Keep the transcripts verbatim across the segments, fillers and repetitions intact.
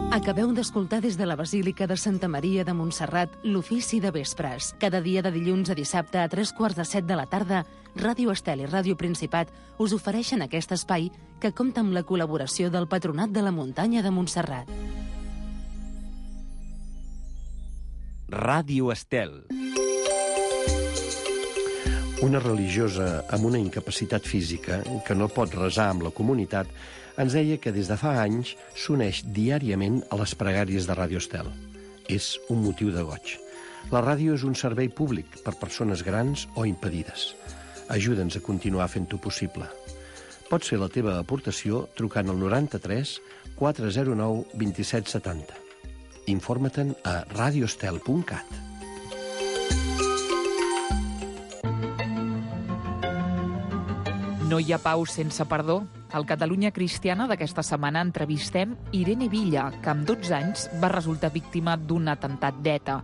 Acabeu d'escoltar des de la Basílica de Santa Maria de Montserrat l'ofici de vespres. Cada dia de dilluns a dissabte a tres quarts de set de la tarda, Ràdio Estel i Ràdio Principat us ofereixen aquest espai que compta amb la col·laboració del Patronat de la Muntanya de Montserrat. Ràdio Estel. Una religiosa amb una incapacitat física que no pot resar amb la comunitat ens deia que des de fa anys s'uneix diàriament a les pregàries de Ràdio Estel. És un motiu de goig. La ràdio és un servei públic per persones grans o impedides. Ajuda'ns a continuar fent-ho possible. Pots fer la teva aportació trucant al noranta-tres quatre zero nou dos set set zero. Informa-te'n a radioestel punt cat. No hi ha pau sense perdó. Al Catalunya Cristiana d'aquesta setmana entrevistem Irene Villa, que amb dotze anys va resultar víctima d'un atemptat d'ETA.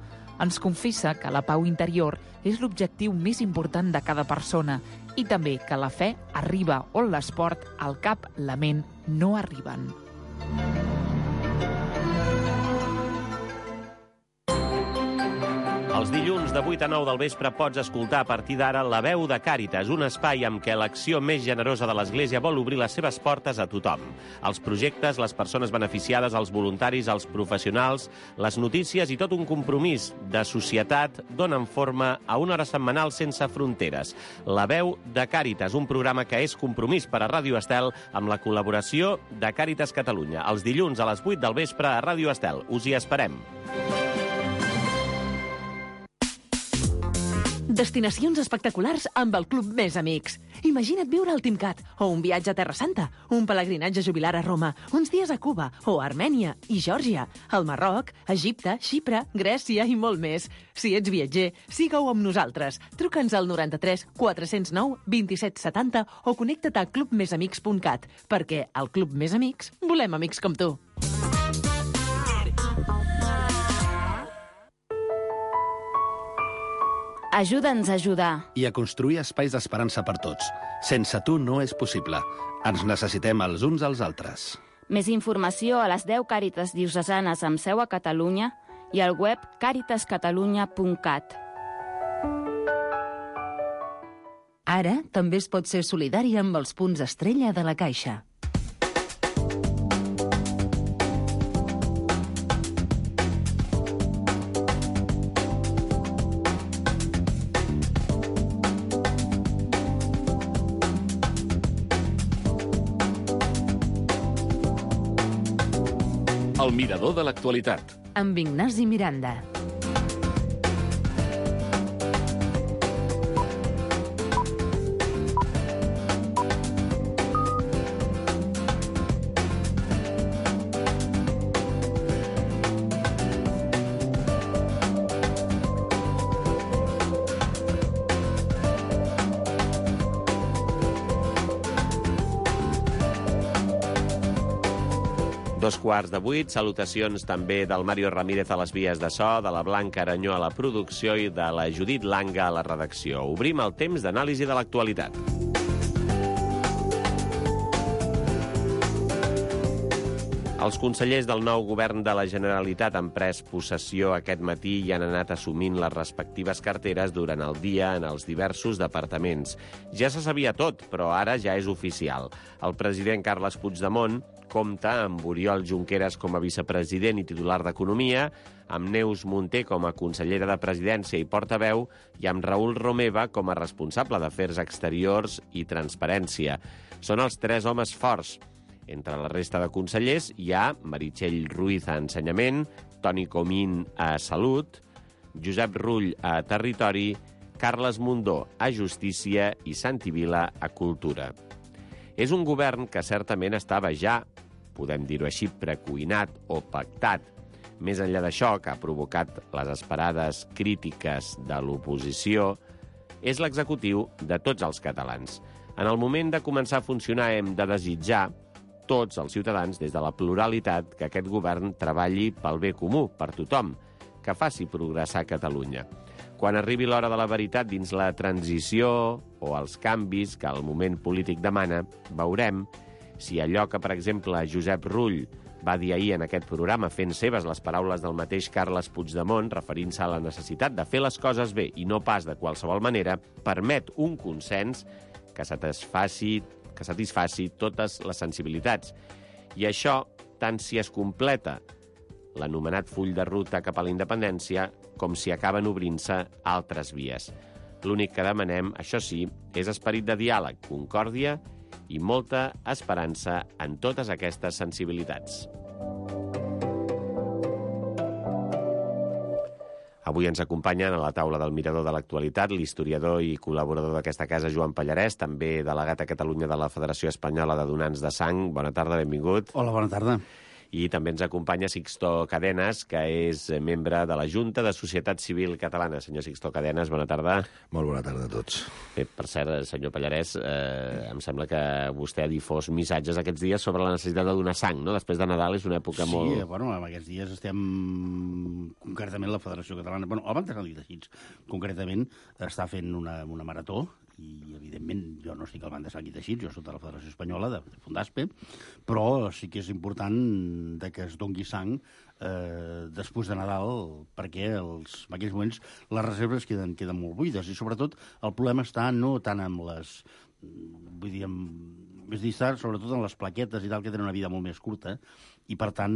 Ens confessa que la pau interior és l'objectiu més important de cada persona i també que la fe arriba on l'esport, el cap, la ment no arriben. Els dilluns de vuit a nou del vespre pots escoltar a partir d'ara La Veu de Càritas, un espai amb què l'acció més generosa de l'Església vol obrir les seves portes a tothom. Els projectes, les persones beneficiades, els voluntaris, els professionals, les notícies i tot un compromís de societat donen forma a una hora setmanal sense fronteres. La Veu de Càritas, un programa que és compromís per a Ràdio Estel amb la col·laboració de Càritas Catalunya. Els dilluns a les vuit del vespre a Ràdio Estel. Us hi esperem. Destinacions espectaculars amb el Club Més Amics. Imagina't viure al Timcat, o un viatge a Terra Santa, un pelegrinatge jubilar a Roma, uns dies a Cuba, o a Armènia i Geòrgia, al Marroc, Egipte, Xipre, Grècia i molt més. Si ets viatger, siga-ho amb nosaltres. Truca'ns al noranta-tres quatre zero nou dos set set zero o connecta't a club més amics punt cat, perquè al Club Més Amics volem amics com tu. Ajuda'ns a ajudar. I a construir espais d'esperança per tots. Sense tu no és possible. Ens necessitem els uns als altres. Més informació a les deu Càritas diocesanes amb seu a Catalunya i al web càritas catalunya punt cat. Ara també es pot ser solidari amb els punts estrella de la Caixa. El mirador de l'actualitat. Amb Ignasi Miranda. Dos quarts de vuit, salutacions també del Mario Ramírez a les vies de so, de la Blanca Aranyó a la producció i de la Judit Langa a la redacció. Obrim el temps d'anàlisi de l'actualitat. Els consellers del nou govern de la Generalitat han pres possessió aquest matí i han anat assumint les respectives carteres durant el dia en els diversos departaments. Ja se sabia tot, però ara ja és oficial. El president Carles Puigdemont compta amb Oriol Junqueras com a vicepresident i titular d'Economia, amb Neus Munté com a consellera de Presidència i portaveu i amb Raül Romeva com a responsable d'Afers Exteriors i Transparència. Són els tres homes forts. Entre la resta de consellers hi ha Meritxell Ruiz a Ensenyament, Toni Comín a Salut, Josep Rull a Territori, Carles Mundó a Justícia i Santi Vila a Cultura. És un govern que certament estava ja, podem dir-ho així, precuinat o pactat. Més enllà d'això, que ha provocat les esperades crítiques de l'oposició, és l'executiu de tots els catalans. En el moment de començar a funcionar hem de desitjar tots els ciutadans, des de la pluralitat, que aquest govern treballi pel bé comú, per tothom, que faci progressar Catalunya. Quan arribi l'hora de la veritat dins la transició o els canvis que el moment polític demana, veurem si allò que, per exemple, Josep Rull va dir ahir en aquest programa, fent seves les paraules del mateix Carles Puigdemont, referint-se a la necessitat de fer les coses bé i no pas de qualsevol manera, permet un consens que satisfaci, que satisfaci totes les sensibilitats. I això, tant si es completa l'anomenat full de ruta cap a la independència, com si acaben obrint-se altres vies. L'únic que demanem, això sí, és esperit de diàleg, concòrdia i molta esperança en totes aquestes sensibilitats. Avui ens acompanyen a la taula del Mirador de l'Actualitat l'historiador i col·laborador d'aquesta casa, Joan Pallarès, també delegat a Catalunya de la Federació Espanyola de Donants de Sang. Bona tarda, benvingut. Hola, bona tarda. I també ens acompanya Sixto Cadenes, que és membre de la Junta de Societat Civil Catalana. Senyor Sixto Cadenes, bona tarda. Molt bona tarda a tots. Bé, per cert, senyor Pallarès, eh, em sembla que vostè ha difós missatges aquests dies sobre la necessitat de donar sang, no? Després de Nadal és una època sí, molt... Sí, bueno, en aquests dies estem... Concretament la Federació Catalana... Bueno, el Banc de Sant Teixits, concretament, està fent una, una marató i, evidentment, jo no estic al Banc de Sant Teixits, jo soc de la Federació Espanyola, de, de Fundaspe, però sí que és important de que es dongui sang eh, després de Nadal, perquè els, en aquells moments les reserves queden, queden molt buides, i sobretot el problema està no tant amb les... vull dir, amb, és dir, està sobretot en les plaquetes i tal, que tenen una vida molt més curta, i per tant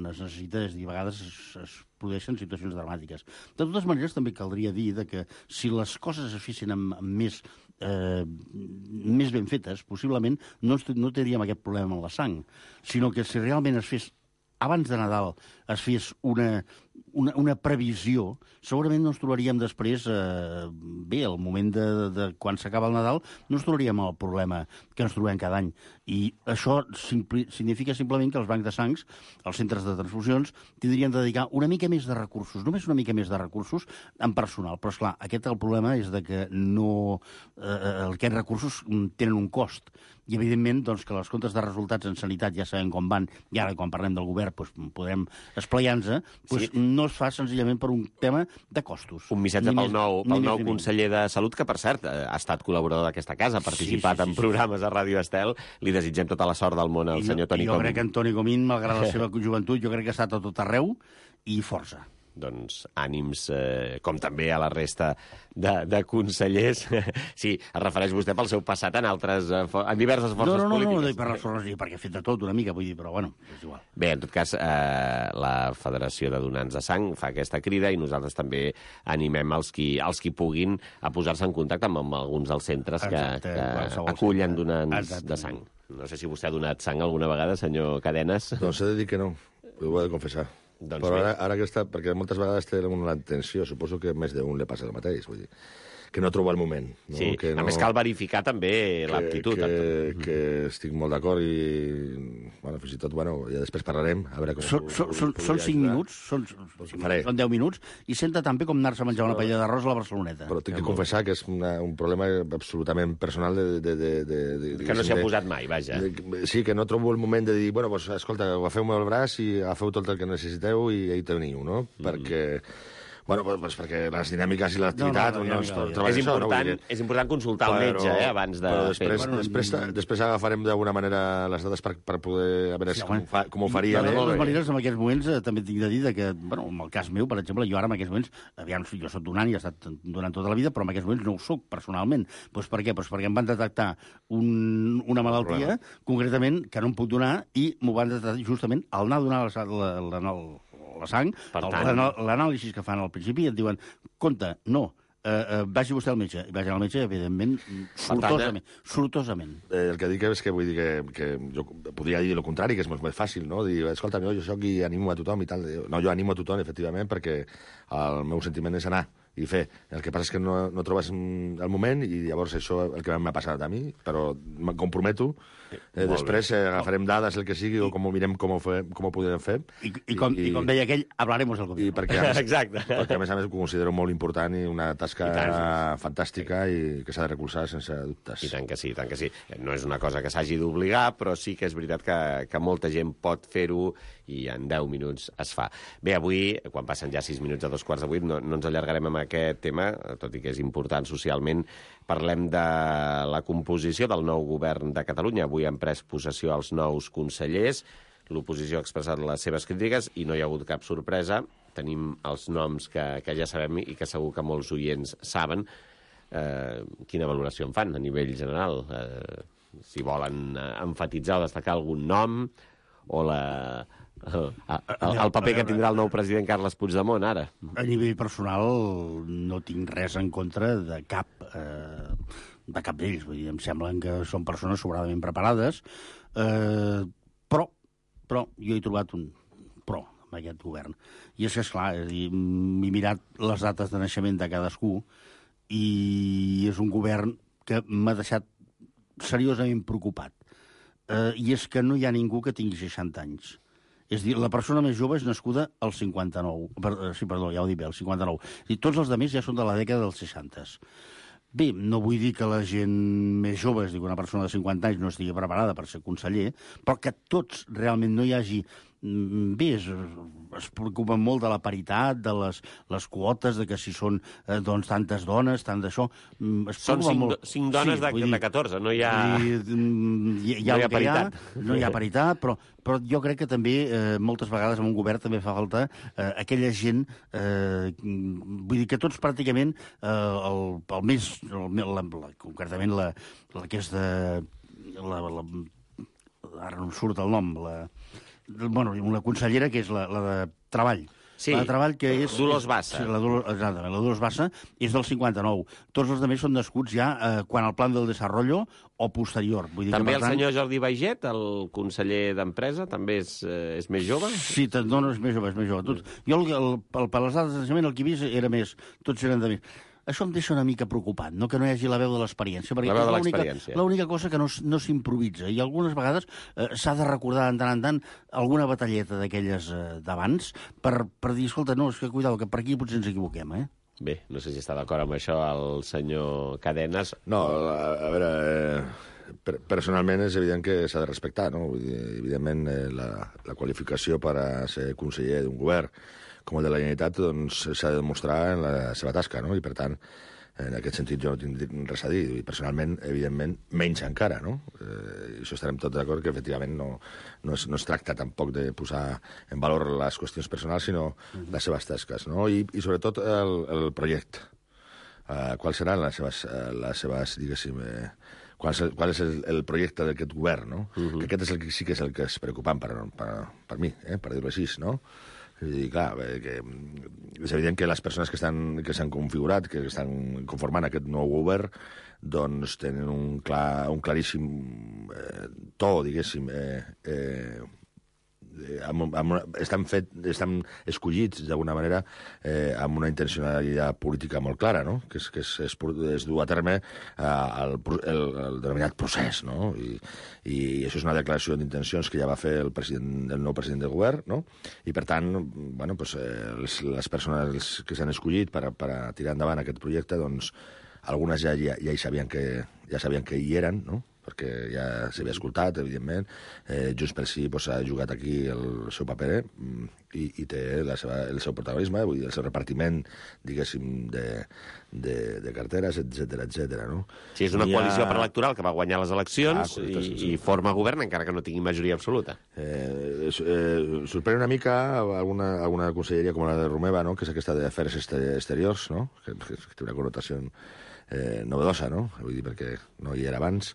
es necessita, és dir, a vegades es, es produeixen situacions dramàtiques. De totes maneres, també caldria dir de que si les coses es fessin amb, amb més, eh, més ben fetes, possiblement no, no tindríem aquest problema amb la sang, sinó que si realment es fes abans de Nadal es fes una, una, una previsió, segurament no ens trobaríem després, eh, bé, al moment de, de quan s'acaba el Nadal, no ens trobaríem el problema que ens trobem cada any. I això simpli, significa simplement que els bancs de sangs, els centres de transfusions, tindrien de dedicar una mica més de recursos, només una mica més de recursos en personal. Però, esclar, aquest el problema és de que no, eh, aquests recursos tenen un cost. I, evidentment, doncs, que els comptes de resultats en sanitat ja sabem com van, i ara, quan parlem del govern, doncs, podrem esplaiar-nos, doncs, sí. No es fa senzillament per un tema de costos. Un missatge pel nou, pel nou conseller de Salut, que, per cert, ha estat col·laborador d'aquesta casa, ha participat sí, sí, sí, en programes sí. a Ràdio Estel. Li desitgem tota la sort del món al I senyor Toni Comín. Jo crec que en Toni Comín, malgrat la seva joventut, jo crec que ha estat a tot arreu, i força. Doncs ànims, eh, com també a la resta de, de consellers. Sí, es refereix vostè pel seu passat en altres, en diverses forces no, no, no, polítiques. No, no, per les forces, perquè he fet de tot una mica, vull dir, però bueno, és igual. Bé, en tot cas, eh, la Federació de Donants de Sang fa aquesta crida i nosaltres també animem els qui, els qui puguin a posar-se en contacte amb, amb alguns dels centres que, Exacte, que acullen donants Exacte. de sang. No sé si vostè ha donat sang alguna vegada, senyor Cadenes. Doncs he de dir que no, ho he de confessar. Doncs però ara, ara que està, perquè moltes vegades té una tensió, suposo que més d'un li passa el mateix, vull dir, que no trobo el moment. No? Sí, que no, a més cal verificar també l'aptitud. Que, que, que estic molt d'acord i, bueno, fins i tot, bueno, ja després parlarem, a veure com... Són, són, són, són cinc minuts, són, doncs són deu minuts, i senta tan bé com anar-se a menjar una paella d'arròs a la Barceloneta. Però tinc que confessar que és una, un problema absolutament personal de... de, de, de, de que no s'hi ha posat mai, vaja. De, sí, que no trobo el moment de dir, bueno, pues, escolta, agafeu-me el braç i agafeu tot el que necessiteu i ahí teniu, no? Mm. Perquè... Bueno, pues perquè les dinàmiques i l'activitat... No, no, no, no, no, és, important, no és important consultar el metge, eh, abans de... Però després, bueno, després, després agafarem d'alguna manera les dades per, per poder... A veure sí, com, fa, com ho faria. De totes maneres, en aquests moments, eh, també tinc de dir que, bueno, en el cas meu, per exemple, jo ara en aquests moments, aviam, jo soc donant i he estat donant tota la vida, però en aquests moments no ho soc personalment. Pues per què? Pues perquè em van detectar un, una malaltia, concretament, que no em puc donar, i m'ho van detectar justament al anar a donar la, la, la, la, la sang, l'anàlisi que fan al principi, et diuen, compte, no, eh, eh, vagi vostè al metge. I vagi al metge, evidentment, sortosament. sortosament. Eh, el que dic és que vull dir que, que jo podria dir el contrari, que és molt més fàcil, no? Dir, escolta, jo, jo soc i animo a tothom i tal. No, jo animo a tothom, efectivament, perquè el meu sentiment és anar i fer. El que passa és que no, no trobes el moment i llavors això el que m'ha passat a mi, però em comprometo. Eh, després eh, agafarem dades, el que sigui, o com ho mirem, com ho, fe, com ho podem fer. I, i, com, i, i com deia aquell, hablaremos del gobierno. I perquè, a més, Exacte. perquè a més a més ho considero molt important i una tasca I fantàstica i que s'ha de recolzar sense dubtes. I tant que sí, tant que sí. No és una cosa que s'hagi d'obligar, però sí que és veritat que, que molta gent pot fer-ho i en deu minuts es fa. Bé, avui, quan passen ja sis minuts a dos quarts de vuit, no, no ens allargarem amb aquest tema, tot i que és important socialment. Parlem de la composició del nou govern de Catalunya. Avui han pres possessió els nous consellers. l'oposició ha expressat les seves crítiques i no hi ha hagut cap sorpresa. Tenim els noms que, que ja sabem i que segur que molts oients saben. Eh, quina valoració en fan a nivell general? Eh, si volen emfatitzar o destacar algun nom o la... El, el, el paper que tindrà el nou president Carles Puigdemont, ara. A nivell personal no tinc res en contra de cap eh, de cap d'ells. Vull dir, em semblen que són persones sobradament preparades, eh, però, però jo he trobat un però amb aquest govern. I és que, esclar, és dir, m'he mirat les dates de naixement de cadascú i és un govern que m'ha deixat seriosament preocupat. Eh, I és que no hi ha ningú que tingui seixanta anys. És dir, la persona més jove és nascuda al cinquanta-nou. Per, sí, perdó, ja ho dic bé, al cinquanta-nou. I tots els altres ja són de la dècada dels seixanta. Bé, no vull dir que la gent més jove, és dir, que una persona de cinquanta anys no estigui preparada per ser conseller, però que tots realment no hi hagi... Bé, es, es preocupen molt de la paritat, de les, les quotes, de que si són eh, doncs, tantes dones, tant d'això... Són cinc, molt... cinc dones sí, de, de catorze, no hi ha, dir, hi, hi ha, no hi ha paritat. Hi ha, no hi ha paritat, però, però jo crec que també eh, moltes vegades en un govern també fa falta eh, aquella gent... Eh, vull dir que tots pràcticament, eh, el, el més... El, la, la, concretament la, la que és de... La, la, ara no em surt el nom, la... Bueno, una consellera que és la, la de Treball. Sí, la de Treball, que és... Dolors Bassa. Sí, la Dolors, exactament, la Dolors Bassa és del cinquanta-nou. Tots els altres són nascuts ja eh, quan el Plan del Desarrollo o posterior. Vull dir també que, el tant... senyor Jordi Baiget, el conseller d'Empresa, també és, eh, és més jove? Sí, no, no, és més jove, és més jove. Tots, jo, el, el, el, per les dades de naixement, el que he vist era més, tots eren de més. Això em deixa una mica preocupat, no? Que no hi hagi la veu de l'experiència. La veu de l'experiència. L'única cosa que no, no s'improvisa. I algunes vegades eh, s'ha de recordar de tant en tant alguna batalleta d'aquelles eh, d'abans per, per dir, escolta, no, és que cuidado, que per aquí potser ens equivoquem, eh? Bé, no sé si està d'acord amb això el senyor Cadenes. No, a, a veure... Eh... Personalment és evident que s'ha de respectar, no? Vull dir, evidentment, eh, la, la qualificació per a ser conseller d'un govern com el de la Generalitat doncs, s'ha de demostrar en la seva tasca, no? I, per tant, en aquest sentit jo no tinc res a dir. I, personalment, evidentment, menys encara, no? Eh, això estarem tots d'acord que, efectivament, no, no, es, no es tracta tampoc de posar en valor les qüestions personals, sinó mm-hmm. les seves tasques, no? I, i sobretot, el, el projecte. Uh, quals seran les seves, uh, les seves diguéssim... Eh, Qual és, el, qual és el, el projecte d'aquest govern, no? Uh-huh. Que aquest és el que sí que és el que és preocupant per, per, per mi, eh? Per dir-ho així, no? I, clar, que és evident que les persones que estan que s'han configurat, que estan conformant aquest nou govern, doncs tenen un, clar, un claríssim eh, to, diguéssim, eh, eh, amb, amb una, estan, fet, estan escollits d'alguna manera eh, amb una intencionalitat política molt clara, no? Que és, que és, és, és dur a terme eh, el, el, el denominat procés, no? I, i això és una declaració d'intencions que ja va fer el, president, el nou president del govern, no? I per tant, bueno, pues, eh, les, les persones que s'han escollit per a, per a tirar endavant aquest projecte, doncs algunes ja, ja, ja hi sabien que, ja sabien que hi eren, no? Perquè ja s'havia escoltat, evidentment. Eh, Junts pel Sí pues, ha jugat aquí el seu paper eh? I, i té la seva, el seu protagonisme, vull dir, el seu repartiment, diguéssim, de, de, de carteres, etcètera, etcètera, no? Sí, és una I coalició ha... preelectoral que va guanyar les eleccions ah, correcte, i, sí, sí. i forma govern, encara que no tingui majoria absoluta. Eh, eh, sorprèn una mica alguna, alguna conselleria com la de Romeva, no? Que és aquesta d'afers exteriors, no? Que, que, que té una connotació eh, novedosa, no? Vull dir, perquè no hi era abans.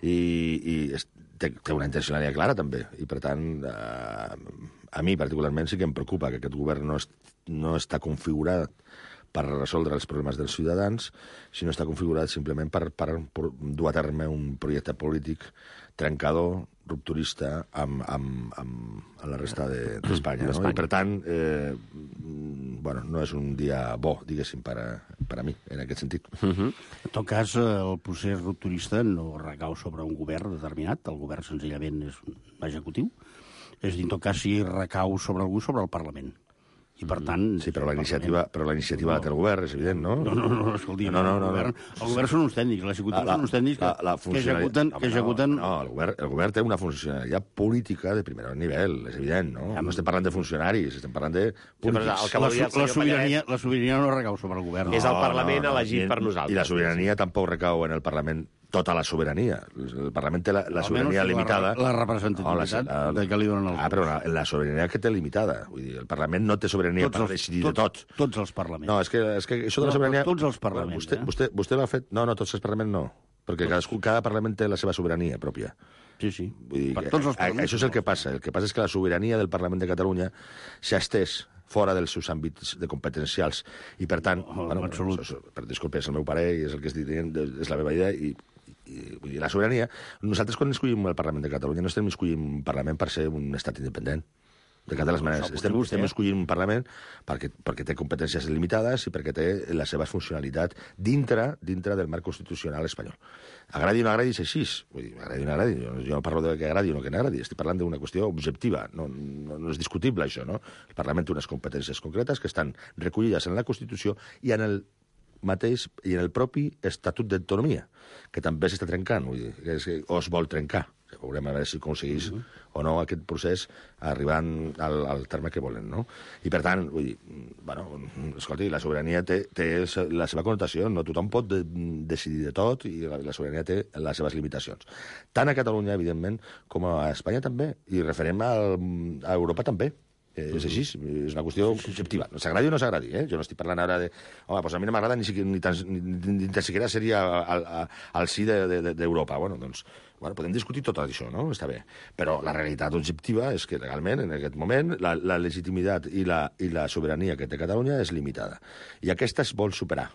I, i es, té, té una intencionalitat clara, també. I, per tant, eh, a mi particularment sí que em preocupa que aquest govern no, es, no està configurat per resoldre els problemes dels ciutadans, sinó està configurat simplement per, per, per dur a terme un projecte polític trencador, rupturista, amb, amb, amb, amb la resta d'Espanya. De, no? I, per tant, eh, bueno, no és un dia bo, diguéssim, per a, per a mi, en aquest sentit. Uh-huh. En tot cas, el procés rupturista no recau sobre un govern determinat, el govern senzillament és un executiu, és a dir, en tot cas, si recau sobre algú, sobre el Parlament. I, per tant... Sí, però la iniciativa, però la iniciativa no. la té el govern, és evident, no? No, no, no, escolti, no, no, no, el, govern, el govern són uns tècnics, l'executiu són uns tècnics que, la, la que executen... No, que executen... no, el govern, el govern té una funcionalitat política de primer nivell, és evident, no? Ja, no estem parlant de funcionaris, estem parlant de polítics. Sí, la, la, la, sobirania, la sobirania no recau sobre el govern. És el Parlament no, no, elegit no, per nosaltres. I la sobirania tampoc recau en el Parlament tota la sobirania. El Parlament té la, la sobirania limitada. La, la representativitat no, la, de què li donen els... Ah, però la, la sobirania que té limitada. Vull dir, el Parlament no té sobirania tots per els, decidir tots, de tot. Tots els parlaments. No, és que, és que això de la sobirania... No, tots els parlaments, vostè, eh? Vostè, vostè l'ha fet... No, no, tots els parlaments no. Perquè cadascú, cada parlament té la seva sobirania pròpia. Sí, sí. Vull dir, per tots els parlaments. Això és el que passa. El que passa és que la sobirania del Parlament de Catalunya s'ha estès fora dels seus àmbits de competencials. I, per tant... Oh, bueno, absolut. Això, per disculpa, és el meu pare i és el que estic dient, és la meva idea, i I, vull dir, la sobirania... Nosaltres, quan escollim el Parlament de Catalunya, no estem escollint un Parlament per ser un estat independent. De cap de les maneres. Estem, estem escollint un Parlament perquè, perquè té competències limitades i perquè té la seva funcionalitat dintre dintre del marc constitucional espanyol. Agradi o no agradi, és així. Vull dir, agradi o no agradi. Jo, jo no parlo de que agradi o no que no agradi. Estic parlant d'una qüestió objectiva. No, no, no és discutible, això, no? El Parlament té unes competències concretes que estan recollides en la Constitució i en el mateix i en el propi Estatut d'Autonomia, que també s'està trencant, vull dir, que és, o es vol trencar. Veurem a veure si aconseguís uh -huh. o no aquest procés arribant al, al terme que volen, no? I, per tant, vull dir, bueno, escolti, la sobirania té, té la seva connotació, no tothom pot de, decidir de tot i la, la sobirania té les seves limitacions. Tant a Catalunya, evidentment, com a Espanya també, i referent al, a Europa també. Eh, és així, és una qüestió subjectiva. No s'agradi o no s'agradi, eh? Jo no estic parlant ara de... Home, doncs a mi no m'agrada ni, ni, tan, ni, ni tan siquiera seria al, al, al sí d'Europa. De, de, bueno, doncs, bueno, podem discutir tot això, no? Està bé. Però la realitat objectiva és que legalment, en aquest moment, la, la legitimitat i la, i la sobirania que té Catalunya és limitada. I aquesta es vol superar.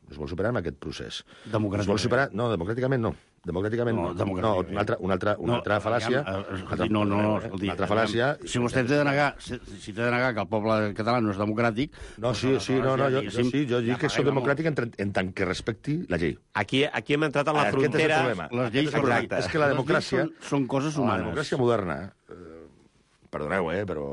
Es vol superar en aquest procés. Democràticament. Es vol superar... No, democràticament no. Democràticament no. No, no una altra, una altra, una no, altra fal·làcia... Escolti, no, no, no, escolti, una altra fal·làcia... Si vostè té de negar, si, si té de negar que el poble català no és democràtic... No, sí, sí, no, no, jo, jo sí, jo dic que soc democràtic en, en tant que respecti la llei. Aquí, aquí hem entrat en la frontera... Les lleis són, és que la democràcia... Són, són coses humanes. La democràcia moderna... Perdoneu, eh, però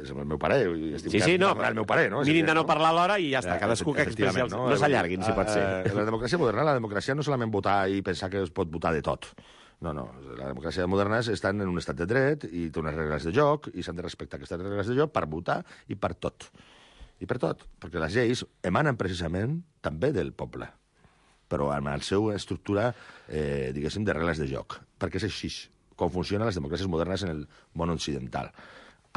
és el meu pare. Sí, sí, no, el meu pare, no? Mirin de no parlar a l'hora i ja està. Cadascú que expressi... No, no s'allarguin, si pot ser. La democràcia moderna, la democràcia no solament votar i pensar que es pot votar de tot. No, no. La democràcia moderna estan en un estat de dret i té unes regles de joc i s'han de respectar aquestes regles de joc per votar i per tot. I per tot. Perquè les lleis emanen precisament també del poble, però amb la seva estructura, eh, diguéssim, de regles de joc. Perquè és així com funcionen les democràcies modernes en el món occidental,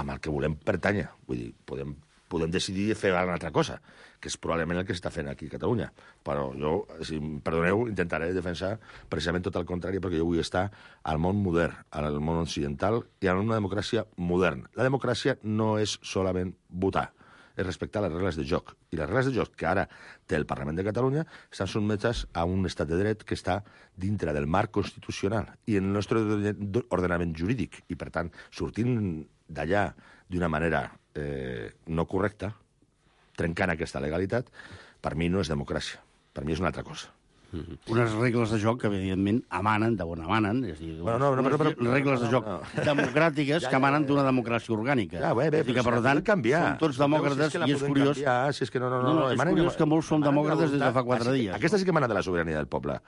amb el que volem pertànyer. Vull dir, podem, podem decidir fer una altra cosa, que és probablement el que s'està fent aquí a Catalunya. Però jo, si em perdoneu, intentaré defensar precisament tot el contrari, perquè jo vull estar al món modern, al món occidental, i en una democràcia moderna. La democràcia no és solament votar, és respectar les regles de joc. I les regles de joc que ara té el Parlament de Catalunya estan sotmeses a un estat de dret que està dintre del marc constitucional i en el nostre ordenament jurídic. I, per tant, sortint d'allà d'una manera eh, no correcta, trencant aquesta legalitat, per mi no és democràcia. Per mi és una altra cosa. Mm-hmm. Unes regles de joc que, evidentment, emanen d'on emanen, és a dir, bueno, no, no, unes però, però, regles de joc no, no. democràtiques ja, ja, que emanen d'una democràcia orgànica. Ja, bé, bé, és a dir, que, per si tant, canviar. som tots demòcrates, si és que i és curiós... Canviar, si és que no, no, no, no, no, no, és curiós que molts som demòcrates des de fa quatre dies. Aquesta sí que emana de la sobirania del poble.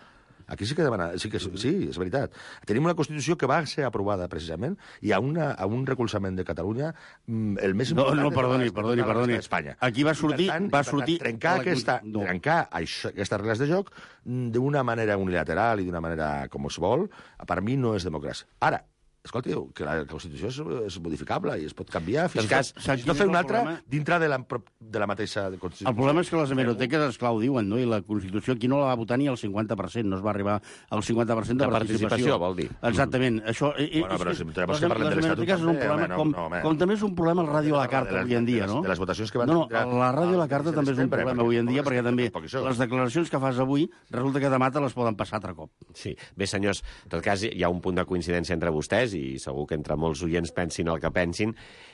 Aquí sí que demana, sí, que, sí, és veritat. Tenim una Constitució que va ser aprovada, precisament, i a, una, a un recolzament de Catalunya el més important... No, no, perdoni, perdoni, perdoni. Espanya. Aquí va sortir... tant, va sortir tant, trencar, la... aquesta, no. trencar això, aquestes regles de joc d'una manera unilateral i d'una manera com es vol, per mi no és democràcia. Ara, escolti, que la Constitució és, és modificable i es pot canviar fins cas, i tot fer una altra dintre de la, de la mateixa Constitució. El problema és que les hemeroteques, esclar, ho diuen, no? I la Constitució aquí no la va votar ni al cinquanta per cent, no es va arribar al cinquanta per cent de, de participació. participació. Vol dir. Exactament. Mm. Això, eh, bueno, però si les, les, les hemeroteques és un problema, home, com, no, home. com també és un problema el ràdio a la carta avui en dia, no? De les votacions que van... No, no, la ràdio a la carta també és un problema avui en dia, perquè també les declaracions que fas avui resulta que demà te les poden passar altre cop. Sí. Bé, senyors, en tot cas hi ha un punt de coincidència entre vostès i segur que entre molts oients pensin el que pensin,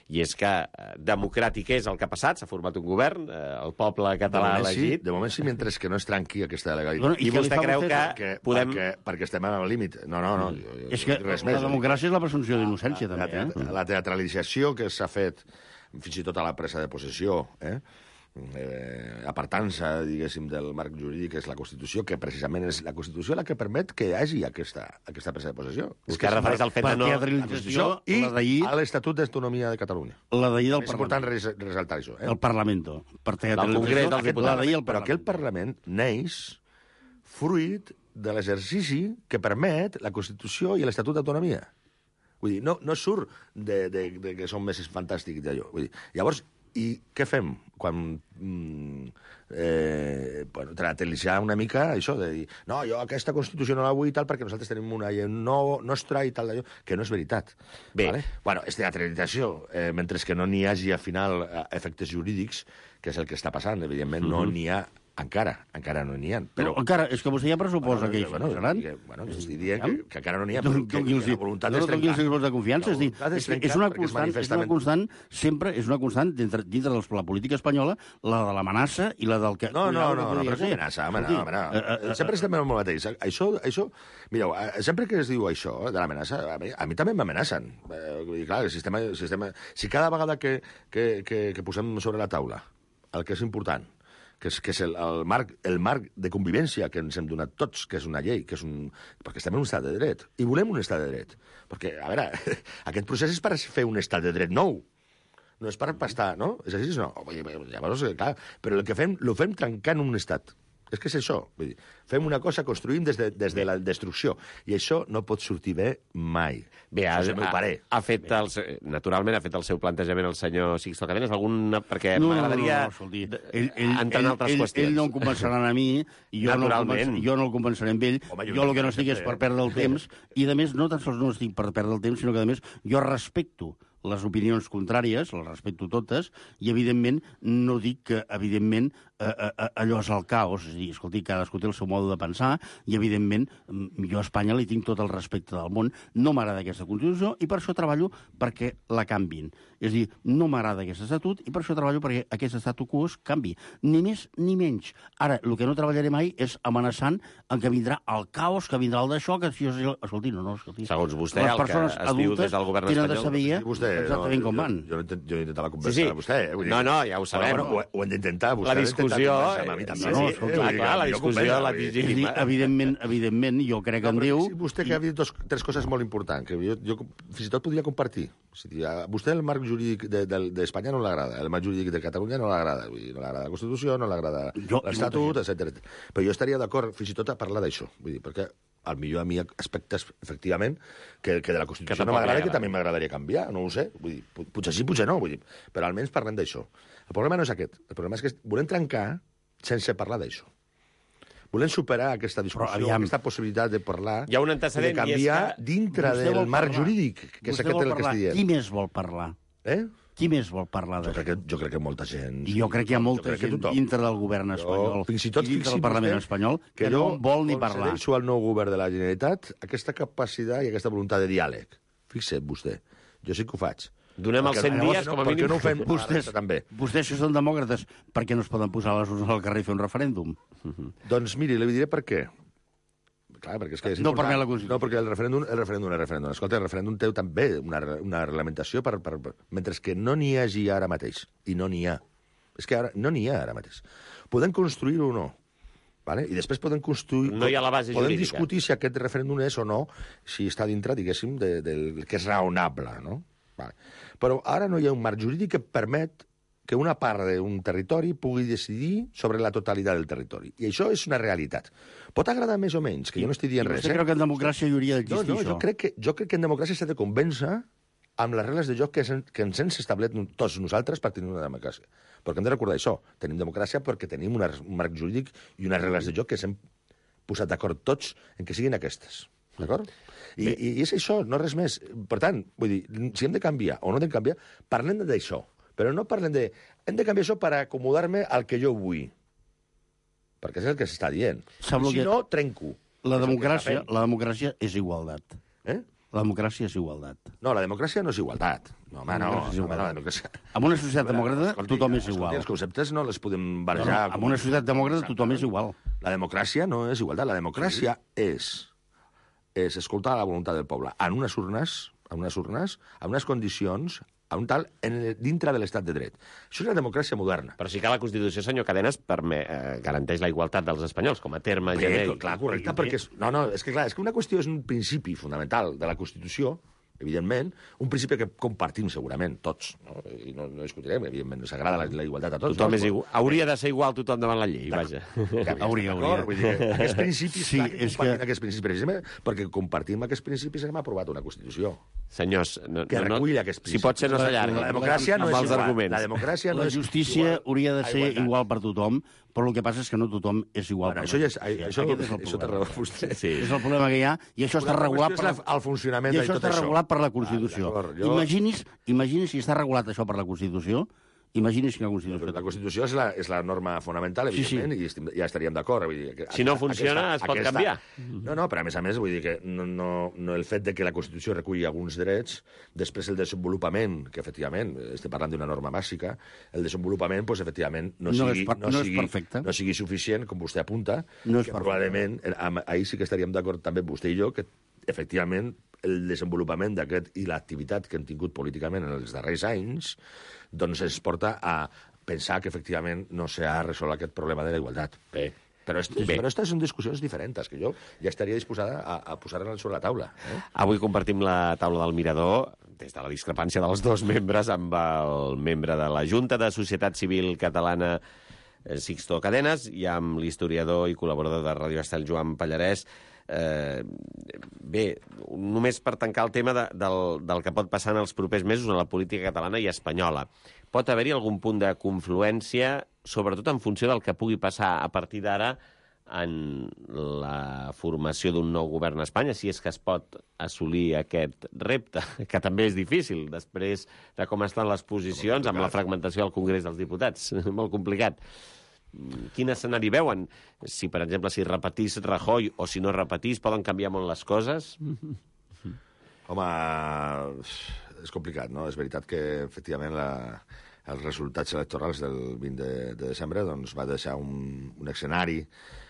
i és que eh, democràtic és el que ha passat, s'ha format un govern, eh, el poble català ha elegit... Sí, de moment sí, mentre que no es trenqui aquesta legalitat. Bueno, I, I vostè creu que perquè, podem... Perquè, perquè estem al límit. No, no, no. Jo, és que res la més, democràcia és la presumpció d'innocència, també. La, eh? la teatralització que s'ha fet, fins i tot a la presa de possessió, eh? Eh, apartant-se, diguéssim, del marc jurídic, és la Constitució, que precisament és la Constitució la que permet que hi hagi aquesta, aquesta presa de possessió. És que refereix al fet de no... La teatralització i a l'Estatut d'Autonomia de Catalunya. La d'ahir del és important ressaltar això. Eh? El Parlamento. Per el Congrés dels Diputats. Però aquest Parlament neix fruit de l'exercici que permet la Constitució i l'Estatut d'Autonomia. Vull dir, no, no surt de, de, de que som més fantàstics d'allò. Vull dir, llavors, i què fem quan mm, eh, bueno, tratelitzar una mica això de dir no, jo aquesta Constitució no la vull i tal perquè nosaltres tenim una llei no, nostra i tal d'allò, que no és veritat. Bé, vale? Bueno, és teatralització, eh, mentre que no n'hi hagi al final efectes jurídics, que és el que està passant, evidentment uh-huh. no n'hi ha encara, encara no n'hi ha. Però... No, encara, és que vostè ja pressuposa bueno, que hi bueno, seran. Bueno, que estic dient que, que encara no n'hi ha, però que la voluntat no, és trencar. No, no, de confiança. És, dir, és, és, una constant, és una constant, sempre és una constant, dintre, dintre de la política espanyola, la de l'amenaça i la del que... No, no, no, no, però és amenaça, home, no, home, no. Uh, uh, sempre estem amb el mateix. Això, això, mireu, sempre que es diu això, de l'amenaça, a mi, a mi també m'amenacen. I clar, el sistema, el sistema... Si cada vegada que, que, que, que posem sobre la taula el que és important, que és, que és el, el, marc, el marc de convivència que ens hem donat tots, que és una llei, que és un... perquè estem en un estat de dret, i volem un estat de dret. Perquè, a veure, aquest procés és per fer un estat de dret nou, no és per pastar, no? És així, no? Llavors, clar, però el que fem, lo fem trencant un estat. És que és això. Vull dir, fem una cosa, construïm des de, des de la destrucció. I això no pot sortir bé mai. Bé, ha, ha, ha fet el, naturalment ha fet el seu plantejament el senyor Sixto Cadenes, alguna... perquè no, m'agradaria no, no, no, ell, ell, entrar en altres ell, qüestions. Ell no em convencerà a mi, i jo, no el, jo no el convenceré amb ell. Home, jo, jo el que no estic és per perdre el temps, i, a més, no tan sols no estic per perdre el temps, sinó que, a més, jo respecto les opinions contràries, les respecto totes, i, evidentment, no dic que, evidentment, eh, eh, allò és el caos. És a dir, escolti, cadascú té el seu mode de pensar, i, evidentment, jo a Espanya li tinc tot el respecte del món. No m'agrada aquesta Constitució, i per això treballo perquè la canvin. És a dir, no m'agrada aquest estatut, i per això treballo perquè aquest statu quo es canvi. Ni més ni menys. Ara, el que no treballaré mai és amenaçant en que vindrà el caos, que vindrà el d'això, que si jo... Escolti, no, no, escolti. Segons vostè, el que es diu des del govern espanyol... De saber vostè, exactament no, com van. Jo, jo, jo he intentat la conversa sí, sí. a vostè. Eh? Vull dir, no, no, ja ho sabem. Bueno, ho, ho hem d'intentar. La discussió... A mi també. No, no, escolta, clar, clar, la discussió la dir, evidentment, evidentment, jo crec que no, en diu... Si vostè que ha dit dos, tres coses molt importants, que jo, jo fins i tot podria compartir. O sigui, a vostè el marc jurídic d'Espanya de, de no l'agrada, el marc jurídic de Catalunya no l'agrada, no l'agrada la Constitució, no l'agrada l'Estatut, etcètera. Però jo estaria d'acord fins i tot a parlar d'això. Vull dir, perquè al millor a mi aspectes, efectivament, que, que de la Constitució no m'agrada, que també m'agradaria canviar, no ho sé. Vull dir, potser sí, potser no, vull dir, però almenys parlem d'això. El problema no és aquest. El problema és que volem trencar sense parlar d'això. Volem superar aquesta discussió, aquesta possibilitat de parlar, hi ha un antecedent, de canviar que... dintre del marc jurídic, que és aquest el que estic dient. Qui més vol parlar? Eh? Qui més vol parlar d'això? Jo, crec que, jo crec que molta gent... I jo crec que hi ha molta gent dintre del govern espanyol, jo, fins i tot i dintre del Parlament espanyol, que, que no vol ni parlar. Que jo al nou govern de la Generalitat aquesta capacitat i aquesta voluntat de diàleg. Fixa't vostè, jo sí que ho faig. Donem els cent dies, com a mínim. No ho fem vostès, també. Vostès, si són demòcrates, per què no es poden posar les urnes al carrer i fer un referèndum? Uh-huh. Doncs miri, li diré per què. Clar, perquè és que és no, important. Per la Constitució. No, perquè el referèndum, el referèndum, el referèndum. Escolta, el referèndum té també una, una reglamentació per, per, per, mentre que no n'hi hagi ara mateix. I no n'hi ha. És que ara no n'hi ha ara mateix. Podem construir-ho o no. Vale? I després podem construir... No hi ha la base podem jurídica. Podem discutir si aquest referèndum és o no, si està dintre, diguéssim, de, de, del que és raonable, no? Vale. Però ara no hi ha un marc jurídic que permet que una part d'un territori pugui decidir sobre la totalitat del territori. I això és una realitat. Pot agradar més o menys, que jo no estic dient res. I vostè creu que en democràcia hi hauria d'existir no, no, això? Jo crec, que, jo crec que en democràcia s'ha de convèncer amb les regles de joc que, que ens hem establert tots nosaltres per tenir una democràcia. Perquè hem de recordar això. Tenim democràcia perquè tenim una, un marc jurídic i unes regles de joc que s'hem posat d'acord tots en que siguin aquestes. D'acord? I, I és això, no res més. Per tant, vull dir, si hem de canviar o no hem de canviar, parlem d'això. Però no parlem de... Hem de canviar això per acomodar-me al que jo vull. Perquè és el que s'està dient. Sembla I si que no, trenco. La democràcia, la democràcia és igualtat. Eh? La democràcia és igualtat. No, la democràcia no és igualtat. No, home, no. És home, no la democràcia... En una societat demòcrata escolti, tothom és igual. Escolti, els conceptes no les podem barrejar. No, no, en una societat demòcrata tothom és igual. La democràcia no és igualtat. La democràcia sí. és, és escoltar la voluntat del poble en unes urnes, en unes urnes, en unes condicions, a un tal, en el, dintre de l'estat de dret. Això és la democràcia moderna. Però sí que la Constitució, senyor Cadenes, permet, eh, garanteix la igualtat dels espanyols, com a terme Bé, genèric. clar, correcte, perquè... És, no, no, és que clar, és que una qüestió és un principi fonamental de la Constitució, evidentment, un principi que compartim segurament, tots, no? I no, no discutirem, evidentment, s'agrada la, la igualtat a tots. Tothom no? és igual. Hauria de ser igual tothom davant la llei, vaja. Hauria, hauria. Vull dir, aquests principis, sí, clar, que és compartim que... aquests principis, precisament perquè compartim aquests principis hem aprovat una Constitució. Senyors, no, que no, recull aquests principis. Si pot ser, no s'allarga. La democràcia no és igual. Arguments. La democràcia no la és justícia igual hauria de ser igual per tothom, però el que passa és que no tothom és igual bueno, per això ja és, tothom. això, Aquest és el això té problema. raó vostè. Sí. És el problema que hi ha, i això està regulat per la, el funcionament i de això tot està això. regulat per la Constitució. Ah, jo... Imagini's, imagini's si està regulat això per la Constitució, imagini's que la Constitució... La Constitució és la, és la norma fonamental, evidentment, sí, sí. i estim, ja estaríem d'acord. Si no funciona, aquesta, es pot aquesta... canviar. No, no, però a més a més, vull dir que no, no, no el fet de que la Constitució reculli alguns drets, després el desenvolupament, que efectivament, estem parlant d'una norma bàsica, el desenvolupament, pues, efectivament, no sigui, no és, per, no no sigui, és perfecte. No sigui suficient, com vostè apunta, no que probablement, ahir sí que estaríem d'acord també vostè i jo, que efectivament el desenvolupament d'aquest i l'activitat que hem tingut políticament en els darrers anys doncs ens porta a pensar que efectivament no s'ha resolt aquest problema de la igualtat. Bé. Però, est, Bé. però aquestes són discussions diferents, que jo ja estaria disposada a, a posar-les sobre la taula. Eh? Avui compartim la taula del Mirador des de la discrepància dels dos membres amb el membre de la Junta de Societat Civil Catalana, Sixto Cadenes, i amb l'historiador i col·laborador de Ràdio Estel, Joan Pallarès. Eh, bé, només per tancar el tema de, del, del que pot passar en els propers mesos en la política catalana i espanyola. Pot haver-hi algun punt de confluència, sobretot en funció del que pugui passar a partir d'ara en la formació d'un nou govern a Espanya, si és que es pot assolir aquest repte, que també és difícil, després de com estan les posicions, amb la fragmentació del Congrés dels Diputats. Molt complicat. Quin escenari veuen? Si, per exemple, si repetís Rajoy o si no repetís, poden canviar molt les coses? Home, és complicat, no? És veritat que, efectivament, la, els resultats electorals del vint de, de desembre doncs, va deixar un, un escenari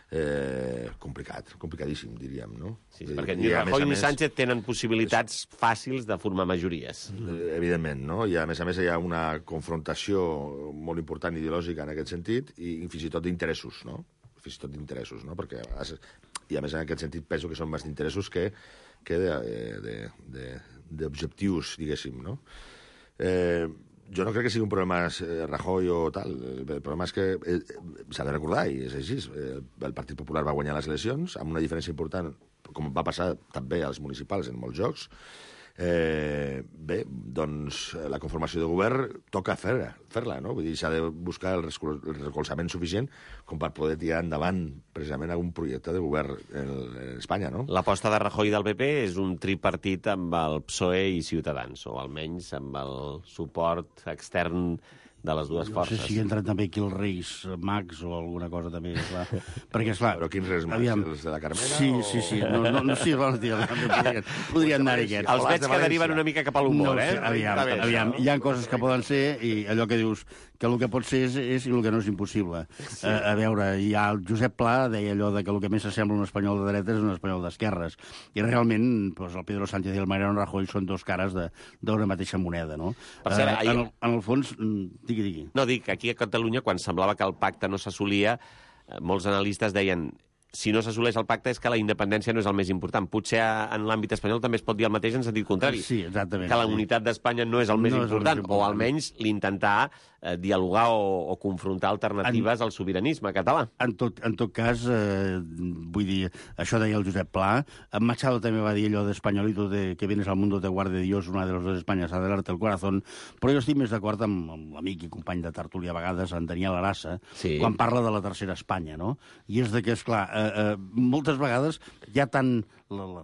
eh, complicat, complicadíssim, diríem, no? Sí, sí, perquè ni Rajoy ni Sánchez tenen possibilitats és... fàcils de formar majories. Evidentment, no? I a més a més hi ha una confrontació molt important ideològica en aquest sentit i fins i tot d'interessos, no? Fins i tot d'interessos, no? Perquè, i a més en aquest sentit penso que són més d'interessos que, que d'objectius, diguéssim, no? Eh, jo no crec que sigui un problema eh, Rajoy o tal. El problema és que eh, s'ha de recordar, i és així, eh, el Partit Popular va guanyar les eleccions amb una diferència important, com va passar també als municipals en molts jocs. Eh, bé, doncs la conformació de govern toca fer-la, fer-la, no? Vull dir, s'ha de buscar el, el recolzament suficient com per poder tirar endavant precisament algun projecte de govern en, en Espanya, no? L'aposta de Rajoy del P P és un tripartit amb el P S O E i Ciutadans, o almenys amb el suport extern de les dues forces. No sé si entren també aquí els Reis Mags o alguna cosa també, esclar. Perquè, esclar... Però quins Reis Mags? Aviam... Els de la Carmena? Sí, o... sí, sí. No, no, no sí, bueno, tio, podrien, podrien anar-hi aquests. Els veig que deriven una mica cap a l'humor, no, eh? Sí, aviam, bé, aviam, hi ha coses que poden ser i allò que dius que el que pot ser és, és i el que no és impossible. Sí. A, a veure, hi ha el Josep Pla deia allò de que el que més s'assembla un espanyol de dretes és un espanyol d'esquerres. I realment, doncs, el Pedro Sánchez i el Mariano Rajoy són dos cares d'una mateixa moneda, no? Per cert, uh, ahir... en, el, en el fons, digui, digui. No, dic, aquí a Catalunya, quan semblava que el pacte no s'assolia, molts analistes deien si no s'assoleix el pacte és que la independència no és el més important. Potser en l'àmbit espanyol també es pot dir el mateix en sentit contrari. Sí, exactament. Que la sí. unitat d'Espanya no és el més no important, el més important, o almenys l'intentar eh, dialogar o, o confrontar alternatives en, al sobiranisme català. En tot, en tot cas, eh, vull dir, això deia el Josep Pla. En Machado també va dir allò d'Españolito de que vienes al mundo te guarde Dios, una de los dos Españas, adelante el corazón. Però jo estic més d'acord amb, amb l'amic i company de tertúlia a vegades, en Daniel Arassa, sí. quan parla de la tercera Espanya, no? I és de que, esclar, eh, eh, moltes vegades hi ha tant la, la,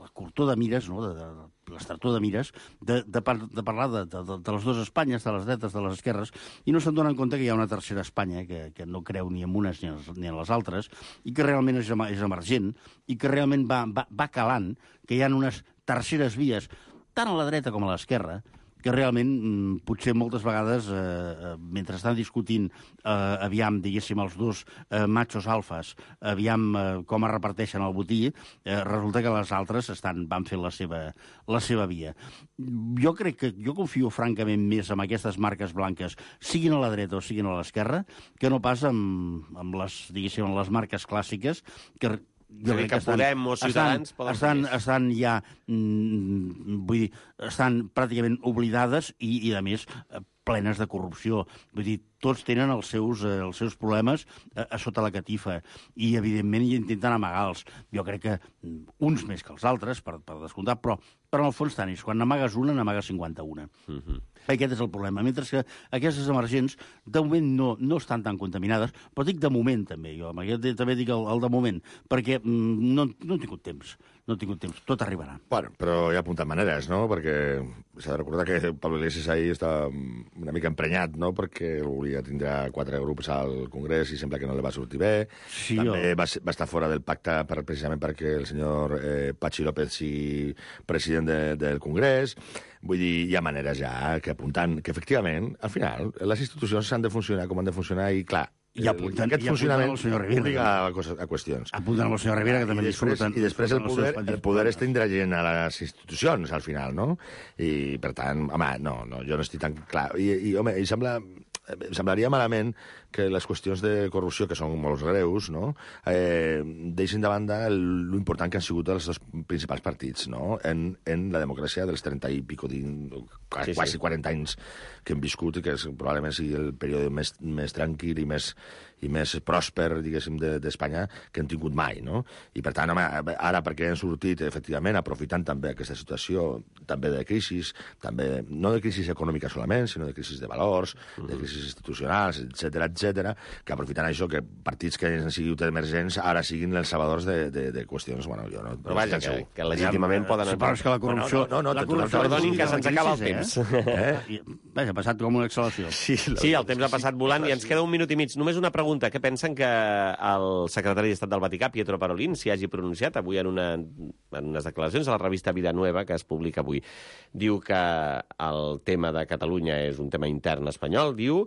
la curtor de mires, no?, de, de, l'estartor de mires, de, de, par, de parlar de, de, de les dues Espanyes, de les dretes, de les esquerres, i no se'n donen compte que hi ha una tercera Espanya que, que no creu ni en unes ni en, ni en les altres, i que realment és, és emergent, i que realment va, va, va calant, que hi ha unes terceres vies, tant a la dreta com a l'esquerra, que realment, potser moltes vegades, eh, mentre estan discutint, eh, aviam, diguéssim, els dos eh, machos alfas, aviam eh, com es reparteixen el botí, eh, resulta que les altres estan, van fer la seva, la seva via. Jo crec que, jo confio francament més en aquestes marques blanques, siguin a la dreta o siguin a l'esquerra, que no pas amb, amb les, diguéssim, amb les marques clàssiques, que jo crec que, que estan, Podem o Ciutadans estan, poden estan, estan ja, mm, vull dir, estan pràcticament oblidades i, i a més, plenes de corrupció. Vull dir, tots tenen els seus, eh, els seus problemes a, a sota la catifa i, evidentment, hi intenten amagar-los. Jo crec que uns més que els altres, per, per descomptat, però, però en el fons tant és. Quan n'amagues una, n'amagues cinquanta-una. Uh-huh. Aquest és el problema. Mentre que aquestes emergents, de moment, no, no estan tan contaminades, però dic de moment, també. Jo també dic el, el de moment, perquè mm, no, no he tingut temps. No he tingut temps. Tot arribarà. Bueno, però hi ha apuntat maneres, no? Perquè s'ha de recordar que Pablo Iglesias ahí està una mica emprenyat, no? Perquè volia tindre quatre grups al Congrés i sembla que no li va sortir bé. Sí, també jo... va, va estar fora del pacte per, precisament perquè el senyor eh, Patxi López sigui president de, del Congrés. Vull dir, hi ha maneres ja que apuntant que, efectivament, al final, les institucions han de funcionar com han de funcionar i, clar, i apuntant, aquest i funcionament el senyor Rivera, obliga a, a qüestions. Apuntant al senyor Rivera, que també I després, disfruten. I després el poder, el poder està indragent a les institucions, al final, no? I, per tant, home, no, no jo no estic tan clar. I, i home, i sembla... Em semblaria malament que les qüestions de corrupció, que són molt greus, no? eh, deixin de banda l'important que han sigut els dos principals partits, no? en, en la democràcia dels trenta i pico, quasi, sí, sí. quasi quaranta anys que hem viscut i que és, probablement sigui el període més, més tranquil i més, i més pròsper, diguéssim, d'Espanya que hem tingut mai, no? I, per tant, home, ara perquè hem sortit, efectivament, aprofitant també aquesta situació, també de crisi, també, no de crisi econòmica solament, sinó de crisi de valors, mm-hmm. de crisi institucionals, etcètera, etcètera, que aprofitant això, que partits que han sigut emergents ara siguin els salvadors de, de, de qüestions, bueno, jo no... Però vaja, que, que legítimament ja, poden... Sí, però és que la corrupció... No, no, no, la corrupció perdonin que se'ns acaba el temps. Eh? Vaja, ha passat com una exhalació. Sí, sí, el temps ha passat volant i ens queda un minut i mig. Només una pregunta. Què pensen que el secretari d'Estat del Vaticà, Pietro Parolin, s'hi hagi pronunciat avui en, una, en unes declaracions a la revista Vida Nueva, que es publica avui? Diu que el tema de Catalunya és un tema intern espanyol, diu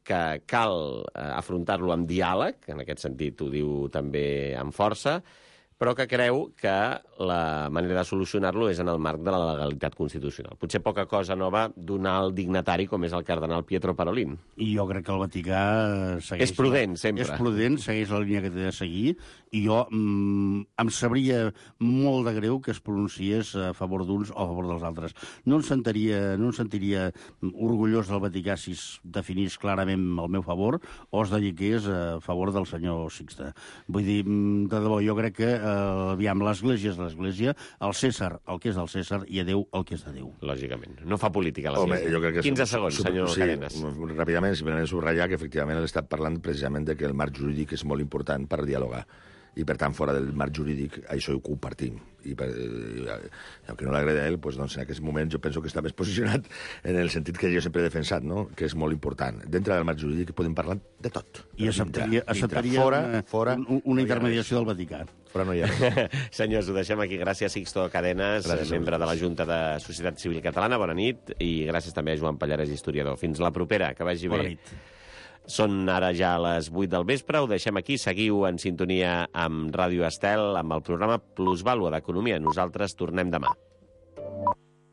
que cal afrontar-lo amb diàleg, en aquest sentit ho diu també amb força, però que creu que la manera de solucionar-lo és en el marc de la legalitat constitucional. Potser poca cosa nova d'un alt dignatari com és el cardenal Pietro Parolin. I jo crec que el Vaticà segueix... És prudent, sempre. És prudent, segueix la línia que té de seguir, i jo mm, em sabria molt de greu que es pronunciés a favor d'uns o a favor dels altres. No em sentiria, no em sentiria orgullós del Vaticà si es definís clarament al meu favor o es dediqués a favor del senyor Sixte. Vull dir, de debò, jo crec que Uh, aviam, l'Església és l'Església, el Cèsar el que és del Cèsar i a Déu el que és de Déu. Lògicament. No fa política l'Església. quinze segons, senyor sí, Cadenes. Ràpidament, simplement subratllar que efectivament he estat parlant precisament de que el marc jurídic és molt important per dialogar. I, per tant, fora del marc jurídic, això ho compartim. I, per, i aunque no l'agrada a ell, pues, doncs, en aquest moment jo penso que està més posicionat en el sentit que jo sempre he defensat, no? Que és molt important. Dintre del marc jurídic podem parlar de tot. I acceptaria, acceptaria fora, una, fora, un, una intermediació del Vaticà. Fora no hi ha. Senyors, ho deixem aquí. Gràcies, Sixto Cadenes, gràcies, membre de la Junta de Societat Civil Catalana. Bona nit. I gràcies també a Joan Pallarès, historiador. Fins la propera. Que vagi bé. Bona nit. Són ara ja les vuit del vespre, ho deixem aquí, seguiu en sintonia amb Ràdio Estel, amb el programa Plusvàlua d'Economia. Nosaltres tornem demà.